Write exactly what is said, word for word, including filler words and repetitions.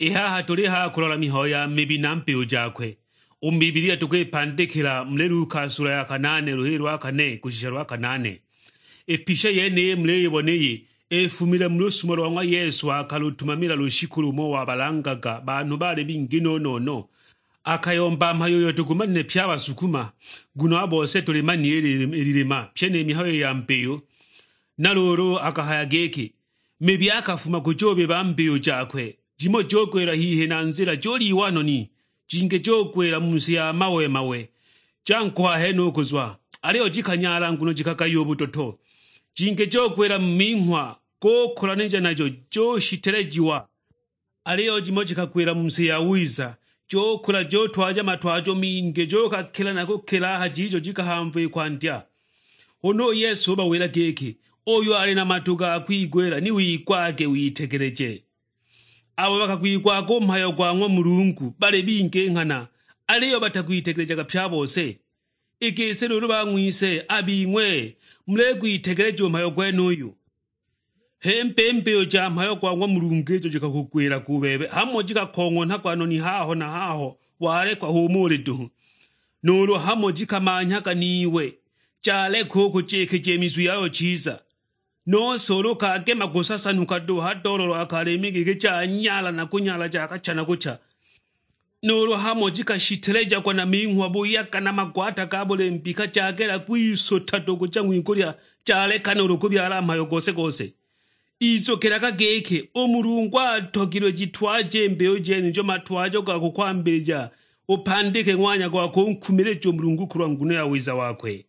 I haha tuli ha kulola mihayo ya mibi na mbiyu jakwe. U mu Bibilia tukwipandikila muli Luka sula ya kanane luhili lwa kane kushisha lwa kanane. I pisha yeniyi muliyibona iyi ifumile mu lusumo lwa ng'wa Yesu akalutumamila lushiku lumo wabalangaga banhu bali bingi no-no-no. Akayomba mhayo uyo tugumanile pye a Basukuma, nguno a bose tulimanile i lilima pye ni mihayo ya mbiyu. Na luulu akahaya giki, mibi akafuma kujubiba mbiyu jakwe, jimo jugwila hihi na nzila juliwa noni, jingi jugwila mu si ya mawe-mawe. Jankoha henuku zwa, aliyo jikanyala nguno jikagaya u butoto. Jingi jugwila mu minghwa, gukulanija najo jushitelejiwa. Aliyo jimo jikagwila mu si ya wiza, jukula jutwaja matwajo mingi, jukakila na kukila a ha jijo jikahamva i kwandya. Huna u Yesu ubawila giki, "Uyo ali na matu ga kwigwila ni wigwage witegeleje." Abo bakagwigwaga u mhayo gwa ng'wa Mulungu bali bingi nghana, aliyo batagwitegelejaga pye a bose. I gisi luulu bang'wise a bing'we muligwitegeleja u mhayo gwenuyu? Himba i mbiyu ja mhayo gwa ng'wa Mulungu ijo jikakugwilaga u bebe, hamo jikakong'onhagwa noni haho na haho walekwa h'umo uli duhu, nuulu hamo jikamanhyaga niwe jaleka u kujikija i mizu yayo chiza. Nose ulu kagema kusasanuka duhu ha doololo akalimi giki janyala na kunyala jakacha na kucha, nuulu hamo jikashitelejiagwa na minghwa buyaga na magwata ga buli mbika jagela kwisuta duhu kuja ng'wigulya, jaleka nuulu kubyala mhayo gose-gose. Izukilaga giki, u Mulungu atogilwe jitwaje i mbiyu jenijo matwajo ga kukwambilija, upandike ng'wanya gwa kunkumilija u Mulungu kulwa nguno ya wiza wakwe.